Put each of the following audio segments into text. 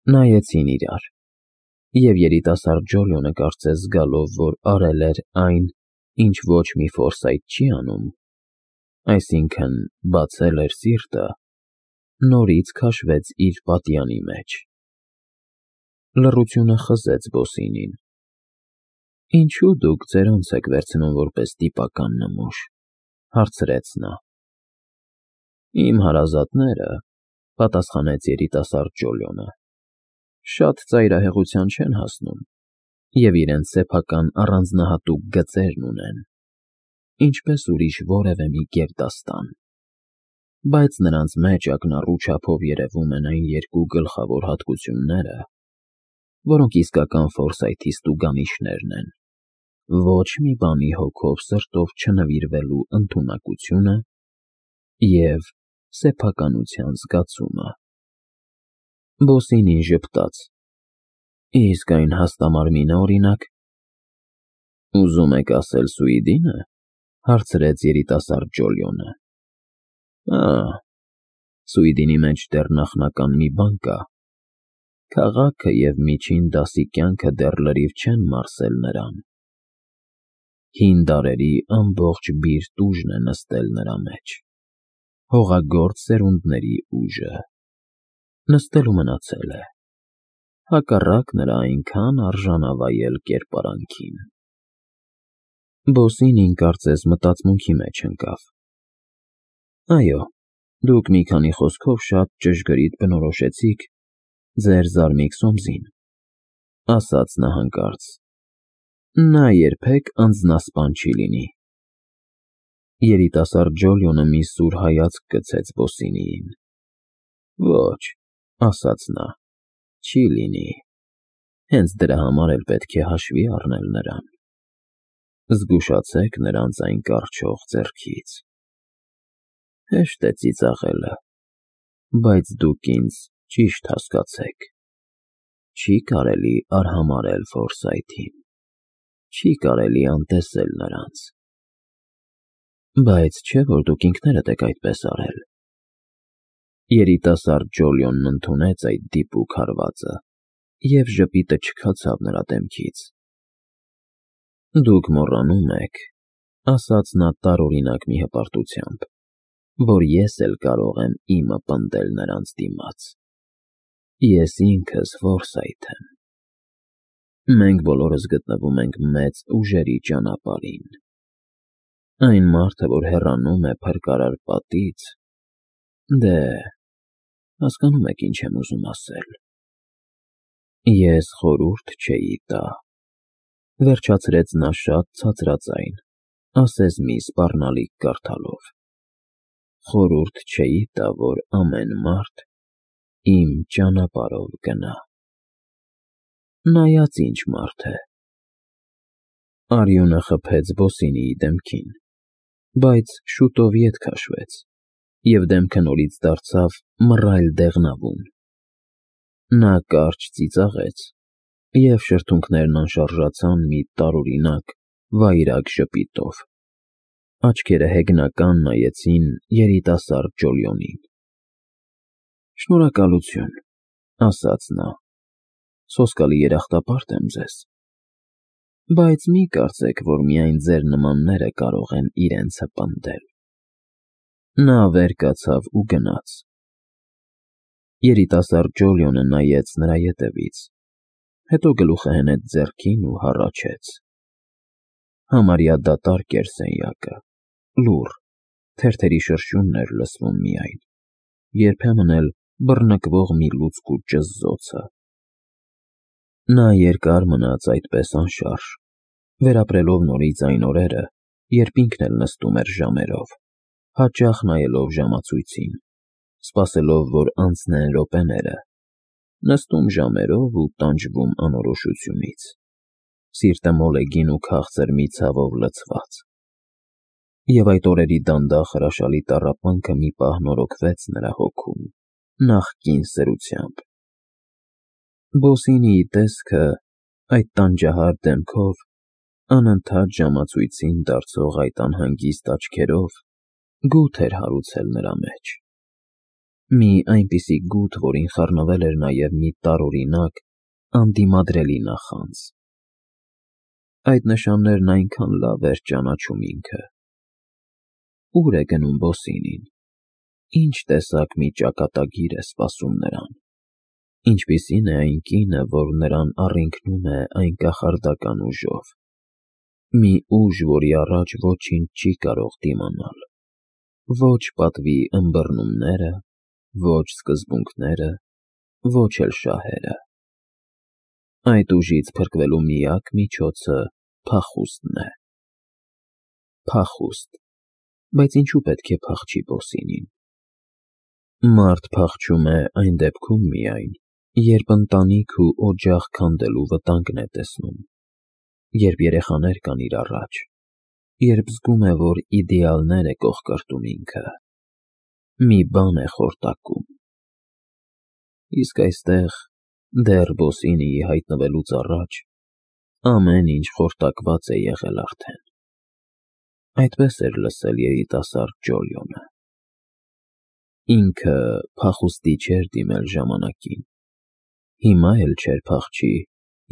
Նայեցին իրար, և երիտասարդ Ջոլիոնը կարծես զգալով, որ արել էր այն, ինչ ոչ մի Ֆորսայթ չի անում, այսինքն բացել էր սիրտը, նորից քաշվեց իր պատյանի մեջ։ Լռությունը խզեց Բոսինին։ «Ինչու դուք ձերոնց եք վերցնում որպես տիպական նմուշ», հարցրեց նա։ «Իմ հարազատները», պատասխանեց երիտասարդ Ջոլիոնը, «շատ ծայրահեղության չեն հասնում և իրենց սեփական առանձնահատուկ գծերն ունեն, ինչպես ուրիշ որևէ մի գերդաստան, բայց նրանց մեջ ակնառու չափով երևում են այն երկու գլխավոր հատկությունները, որոնք իսկական Ֆորսայթի ստուգանիշներն են. ոչ մի բանի հոգով սրտով չնվիրվելու ընդունակությունը և սեփականության զգացումը»։ Բոսինին ժպտաց. «Իսկ այն հաստամարմինը, օրինակ»։ «Ուզում եք ասել Սուիդինը», հարցրեց երիտասարդ Ջոլիոնը։ «Ահ, Սուիդինի մեջ դեռ նախնական մի բան կա. քաղաքը և միջին դասի կյանքը դեռ լրիվ չեն մարսել նրան։ Հին դարերի ամբողջ բիրտ ուժն է նստել նրա մեջ, հողագործ սերունդների ուժը, նստել ու մնացել է, հակառակ նրա այնքան արժանավայել կերպարանքին»։ Բոսինին կարծես մտածմունքի մեջ ընկավ։ «Այո, դուք մի քանի խոսքով շատ ճշգրիտ բնորոշեցիք ձեր զարմիկ Սոմսին», ասաց նա հանկարծ։ «Նա երբեք անձնասպան չի լինի»։ Երիտասարդ Ջոլիոնը մի սուր հայացք գցեց Բոսինիին։ «Ոչ», ասաց նա, «չի լինի։ Հենց դրա համար էլ պետք է հաշվի առնել նրան։ Զգուշացեք նրանց այն կառչող ձեռքից։ Հեշտ է ծիծաղելը, բայց դուք ինձ ճիշտ հասկացեք. չի կարելի արհամարհել Ֆորսայթին, չի կարելի անտեսել նրանց։ Բայց չէ՞ որ դուք ինքներդ եք այդպես արել»։ Երիտասարդ Ջոլիոնն ընդունեց այդ դիպուկ հարվածը, և ժպիտը չքացավ նրա դեմքից։ «Դուք մոռանում եք», ասաց նա տարօրինակ մի հպարտությամբ, «որ ես էլ կարող եմ իմը պնդել նրանց դիմաց։ Ես ինքս Ֆորսայթ եմ։ Մենք բոլորս գտնվում ենք մեծ ուժերի ճանապարհին։ Այն մարդը, որ հեռանում է փրկարար պատից, դե, հասկանում եք ինչ եմ ուզում ասել։ Ես խորհուրդ չէի տա», վերջացրեց նա շատ ցածրաձայն, ասես մի սպառնալիք կարդալով, «խորհուրդ չէի տա, որ ամեն մարդ իմ ճանապարհով գնա։ Նայած ինչ մարդ է»։ Արյունը խփեց Բոսինիի դեմքին, բայց շուտով ետ քաշվեց, և դեմքը նորից դարձավ մռայլ դեղնավուն։ Նա կարճ ծիծաղեց, և շրթունքներն անշարժացան մի տարօրինակ, վայրագ ժպիտով։ Աչքերը հեգնական նայեցին երիտասարդ Ջոլիոնին։ «Շնորհակալություն», ասաց նա, «սոսկալի երախտապարտ եմ ձեզ, բայց մի կարծեք, որ միայն ձեր նմանները կարող են իրենց հպնդել»։ Նա վեր կացավ ու գնաց։ Երիտասարդ Ջոլիոնը նայեց նրա ետևից, հետո գլուխը հենեց ձեռքին ու հառաչեց։ Համարյա դատարկ էր սենյակը, լուռ, թերթերի շրշյունն էր լսվում միայն, երբեմն էլ բռնկվող մի լուցկու ճզզոցը։ Նա երկար մնաց այդպես անշարժ, վերապրելով նորից այն օրերը, երբ ինքն էլ նստում էր ժամերով, հաճախ նայելով ժամացույցին, սպասելով, որ անցնեն րոպեները, նստում ժամերով ու տանջվում անորոշությունից, սիրտը մոլեգին ու քաղցր մի ցավով լցված։ Եվ այդ օրերի դանդաղ հրաշալի տառապանքը մի պահ նորոգվեց նրա հոգում նախկին սրությամբ։ Բոսինիի տեսքը այդ տանջահար դեմքով, անընդհատ ժամացույցին դարձող այդ անհանգիստ աչքերով գութ էր հարուցել նրա մեջ։ Մի այնպիսի գութ, որին խառնվել էր նաև մի տարօրինակ, անդիմադրելի նախանձ։ Այդ նշաններն այնքան լավ էր ճանաչում ինքը։ Ուր է գնում Բոսինին։ Ինչ տեսակ մի ճակատագիր է սպասում նրան։ Ինչպիսին է այն կինը, որ նրան առինքնում է այն կախարդական ուժով։ Մի ուժ, որի առաջ ոչինչ չի կարող դիմանալ։ Ոչ պատվի ըմբռնումները, ոչ սկզբունքները, ոչ էլ շահերը։ Այդ ուժից փրկվելու միակ միջոցը փախուստն է։ Փախուստ, բայց ինչու պետք է փախչի Բոսինին։ Մարդ փախչում է այն դեպքում միայն, երբ ընտանիք ու օջախ քանդելու վտանգն է տեսնում, երբ երեխաներ կան իր առաջ, երբ զգում է, որ իդեալներ է կողկրտում ինքը, մի բան է խորտակում։ Իսկ այստեղ, դեռ Բոսինիի հայտնվելուց առաջ, ամեն ինչ խորտակված է եղել արդեն։ Այդպես էր լսել երիտասարդ Ջոլիոնը։ Ինքը փախուստի չէր դիմել ժամանակին։ Հիմա էլ չէր փախչի,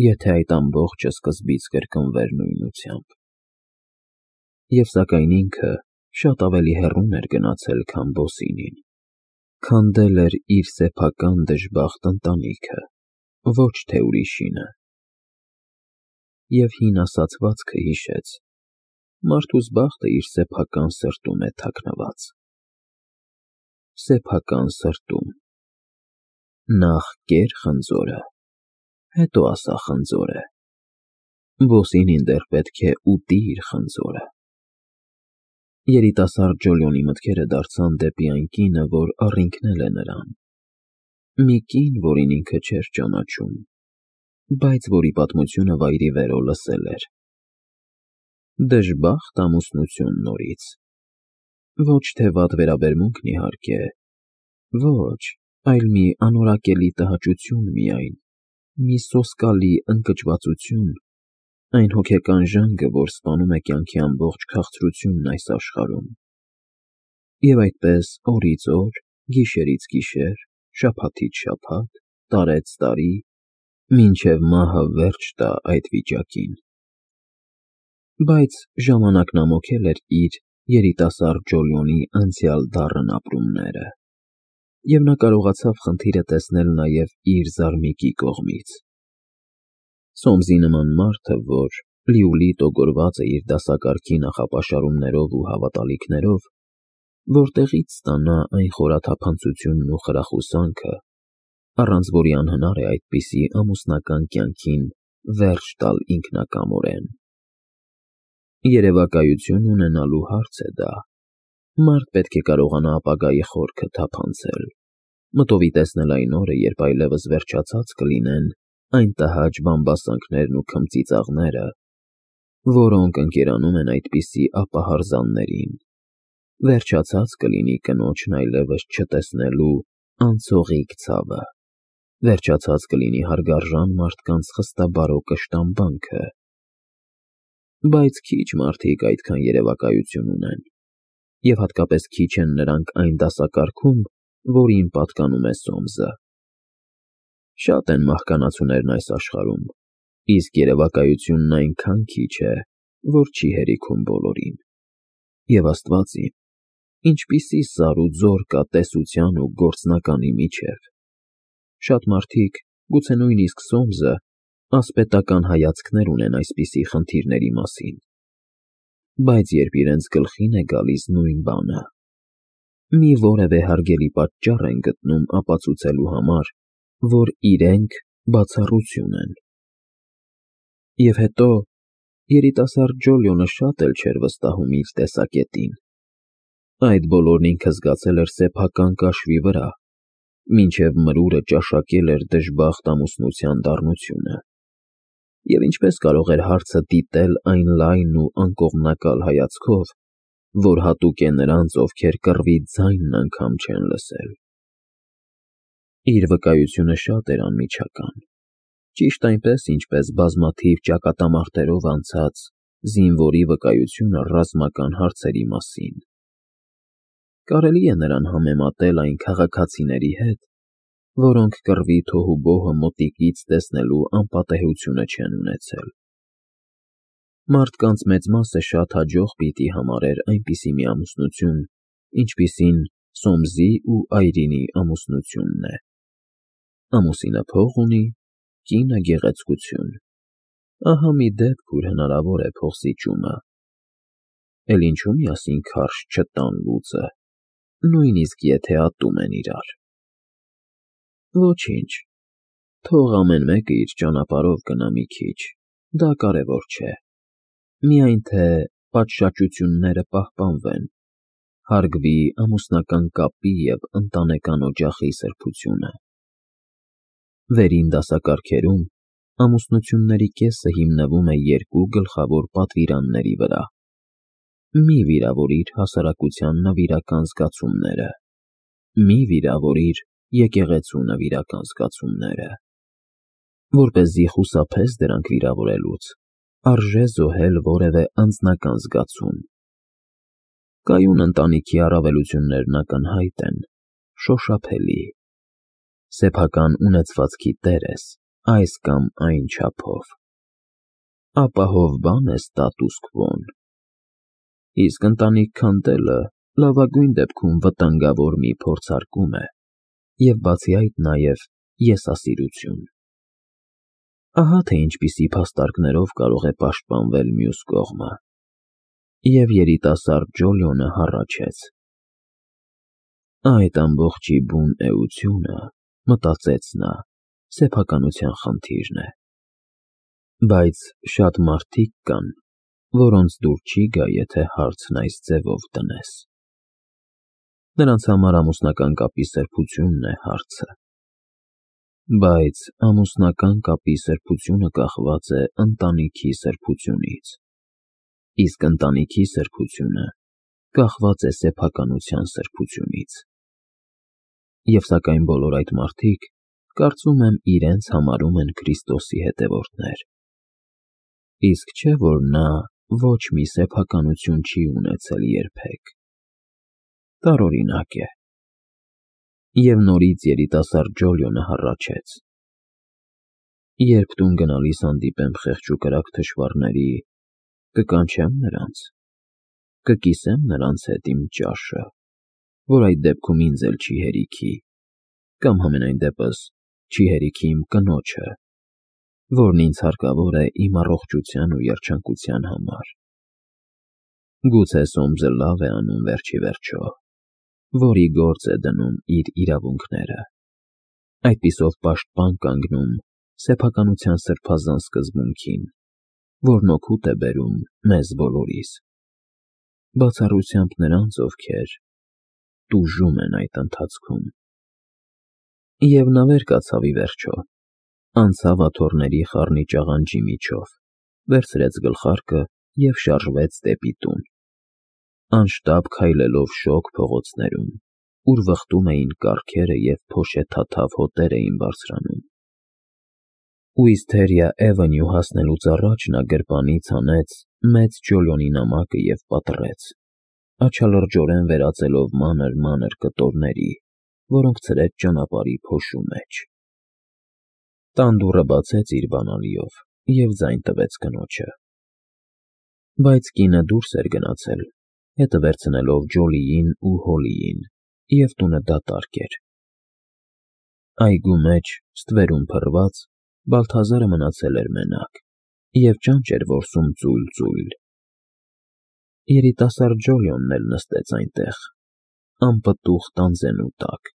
եթե այդ ամբողջը սկզբից կրկնվեր նույնությամբ։ Եվ սակայն ինքը շատ ավելի հեռուն էր գնացել, քան Բոսինին։ Քանդել էր իր սեփական դժբախտ ընտանիքը, ոչ թե ուրիշինը։ Եվ հին ասացվածքը հիշեց. մարդուս բախտը իր սեփական սրտում է թաքնված։ Սեփական սրտում։ Նախ կեր խնձորը, հետո ասա խնձորը։ Բոսինին դեռ պետք է ուտի իր խնձորը։ Երիտասարդ Ջոլիոնի մտքերը դարձան դեպի այն կինը, որ առինքնել է նրան։ Մի կին, որին ինքը չէր ճանաչում, բայց որի պատմությունը վայրիվերո լսել էր։ Դժբախտ ամուսնություն նորից։ Ոչ թե վատ վերաբերմունքն իհարկե, ոչ, այլ մի անորակելի տհաճություն միայն, մի սոսկալի ընկճվածություն, այն հոգեկան ժանգը, որ սպանում է կյանքի ամբողջ քաղցրությունն այս աշխարհում։ Եվ այդպես օրից օր, գիշերից գիշեր, շաբաթից շաբաթ, տարեց տարի, մինչև մահը վերջ տա այդ վիճակին։ Բայց ժամանակն ամոթել էր իր երիտասարդ Ջոլիոնի անցյալ դառն ապրումները, և նա կարողացավ խնդիրը տեսնել նաև իր զարմիկի կողմից։ Սոմսի նման մարդը, որ լիուլի տոգորված է իր դասակարգի նախապաշարումներով ու հավատալիքներով, որտեղի՞ց ստանա այն խորաթափանցությունն ու խրախուսանքը, առանց որի անհնար է այդպիսի ամուսնական կյանքին վերջ տալ ինքնակամորեն։ Երևակայություն ունենալու հարց է դա։ Մարդ պետք է կարողանա ապագայի խորքը թափանցել, մտովի տեսնել այն օրը, երբ այլևս վերջացած կլինեն այն տհաճ բամբասանքներն ու քմծիծաղները, որոնք ընկերանում են այդպիսի ապահարզաններին, վերջացած կլինի կնոջն այլևս չտեսնելու անցողիկ ցավը, վերջացած կլինի հարգարժան մարդկանց խստաբարո կշտամբանքը։ Բայց քիչ մարդիկ այդքան երևակայություն ունեն, և հատկապես քիչ են նրանք այն դասակարգում, որին պատկանում է Սոմսը։ Շատ են մահկանացուներն այս աշխարհում, իսկ երևակայությունն այնքան քիչ է, որ չի հերիքում բոլորին։ Եվ Աստված իմ, ինչպիսի սար ու ձոր կա տեսության ու գործնականի միջև։ Շատ մարդիկ, գուցե նույնիսկ Սոմսը, ասպետական հայացքներ ունեն այսպիսի խնդիրների մասին։ Բայց երբ իրենց գլխին է գալիս նույն բանը, մի որևէ հարգելի պատճառ են գտնում ապացուցելու համար, որ իրենք բացառություն են։ Եվ հետո երիտասարդ Ջոլիոնը շատ էլ չէր վստահում իր տեսակետին։ Այդ բոլորն ինքը զգացել էր սեփական կաշվի վրա, մինչև մրուրը ճաշակել էր դժբախտ ամուսնության դառնությունը։ Եվ ինչպես կարող էր հարցը դիտել այն լայն ու անկողմնակալ հայացքով, որ հատուկ է նրանց, ովքեր կռվի ձայնն անգամ չեն լսել։ Իր վկայությունը շատ էր անմիջական, ճիշտ այնպես, ինչպես բազմաթիվ ճակատամարտերով անցած զինվորի վկայությունը ռազմական հարցերի մասին։ Կարելի է նրան համեմատել այն քաղաքացիների հետ, որոնք կռվի թոհուբոհը մոտիկից տեսնելու անպատեհությունը չեն ունեցել։ Մարդկանց մեծ մասը շատ հաջող պիտի համարեր այնպիսի մի ամուսնություն, ինչպիսին Սոմզի ու Այրինի ամուսնությունն է։ Ամուսինը փող ունի, կինը գեղեցկություն։ Ահա մի դեպք, ուր հնարավոր է փողսիճումը։ Էլ ինչու միասին քարշ չտան լուծը, նույնիսկ եթե ատում են իրար։ Ոչինչ, թող ամեն մեկը իր ճանապարհով գնա մի քիչ, դա կարևոր չէ։ Միայն թե պատշաճությունները պահպանվեն, հարգվի ամուսնական կապի և ընտանեկան օջախի սրբությունը։ Վերին դասակարգերում ամուսնությունների կեսը հիմնվում է երկու գլխավոր պատվիրանների վրա։ Մի վիրավորիր հասարակության նվիրական զգացումները, մի վիրավորիր եկեղեցու նվիրական զգացումները։ Որպեսզի խուսափես դրանք վիրավորելուց, արժե զոհել որևէ անձնական զգացում։ Կայուն ընտանիքի առավելություններն ակնհայտ են, շոշափելի։ Սեփական ունեցվածքի տեր ես, այս կամ այն չափով։ Ապահով բան է ստատուս քվոն։ Իսկ ընտանիք քանդելը լավագույն դեպքում վտանգավոր մի փորձարկում է, և բացի այդ նաև եսասիրություն։ Ահա թե ինչպիսի փաստարկներով կարող է պաշտպանվել մյուս կողմը։ Եվ երիտասարդ Ջոլիոնը հառաչեց. Այդ ամբողջի բուն էությունը, մտածեց նա, սեփականության խնդիրն է։ Բայց շատ մարդիկ կան, որոնց դուր չի գա, եթե հարցն այս ձևով դնես։ Նրանց համար ամուսնական կապի սրբությունն է հարցը։ Բայց ամուսնական կապի սրբությունը կախված է ընտանիքի սրբությունից, իսկ ընտանիքի սրբությունը կախված է սեփականության սրբությունից։ Եվ սակայն բոլոր այդ մարդիկ, կարծում եմ, իրենց համարում են Քրիստոսի հետևորդներ։ Իսկ չէ՞ որ նա ոչ մի սեփականություն չի ունեցել երբեք։ Տարօրինակ է։ Եվ նորից երիտասարդ Ջոլիոնը հառաչեց. Երբ տուն գնալիս հանդիպեմ խեղճ ու կրակ թշվառների, կկանչեմ նրանց, կկիսեմ նրանց հետ իմ ճաշը, որ այդ դեպքում ինձ էլ չի հերիքի, կամ համենայն դեպս չի հերիքի իմ կնոջը, որն ինձ հարկավոր է իմ առողջության ու երջանկության համար։ Գուցե Սոմզը լավ է անում վերջիվերջո, որի գործ է դնում իր իրավունքները, այդպիսով պաշտպան կանգնում սեփականության սրբազան սկզբունքին, որն օգուտ է բերում մեզ բոլորիս, բացառությամբ նրանց, ովքեր տուժում են այդ ընթացքում։ Եվ նա վեր կացավ ի վերջո, անցավ աթոռների խառնիչ աղանջի միջով, վերցրեց գլխարկը և շարժվեց դեպի տուն, անշտապ քայլելով շոգ փողոցներում, ուր վխտում էին կառքերը և փոշեթաթավ հոտեր էին բարձրանում։ Ուիսթերիա Էվենյու հասնելուց առաջ նա գրպանից հանեց մեծ Ջոլիոնի նամակը և պատռեց, աչալրջորեն վերածելով մանր կտորների, որոնք ցրեց ճանապարհի փոշու մեջ։ Տան դուռը բացեց իր բանալիով և ձայն տվեց կնոջը։ Բայց կինը դուրս էր գնացել, հետը վերցնելով Ջոլիին ու Հոլիին, և տունը դատարկ էր։ Այգու մեջ, ստվերում փռված, Բալթազարը մնացել էր մենակ և ճանճ էր որսում ծույլ։ Երիտասարդ Ջոլիոնն էլ նստեց այնտեղ, անպտուղ տանձենու տակ,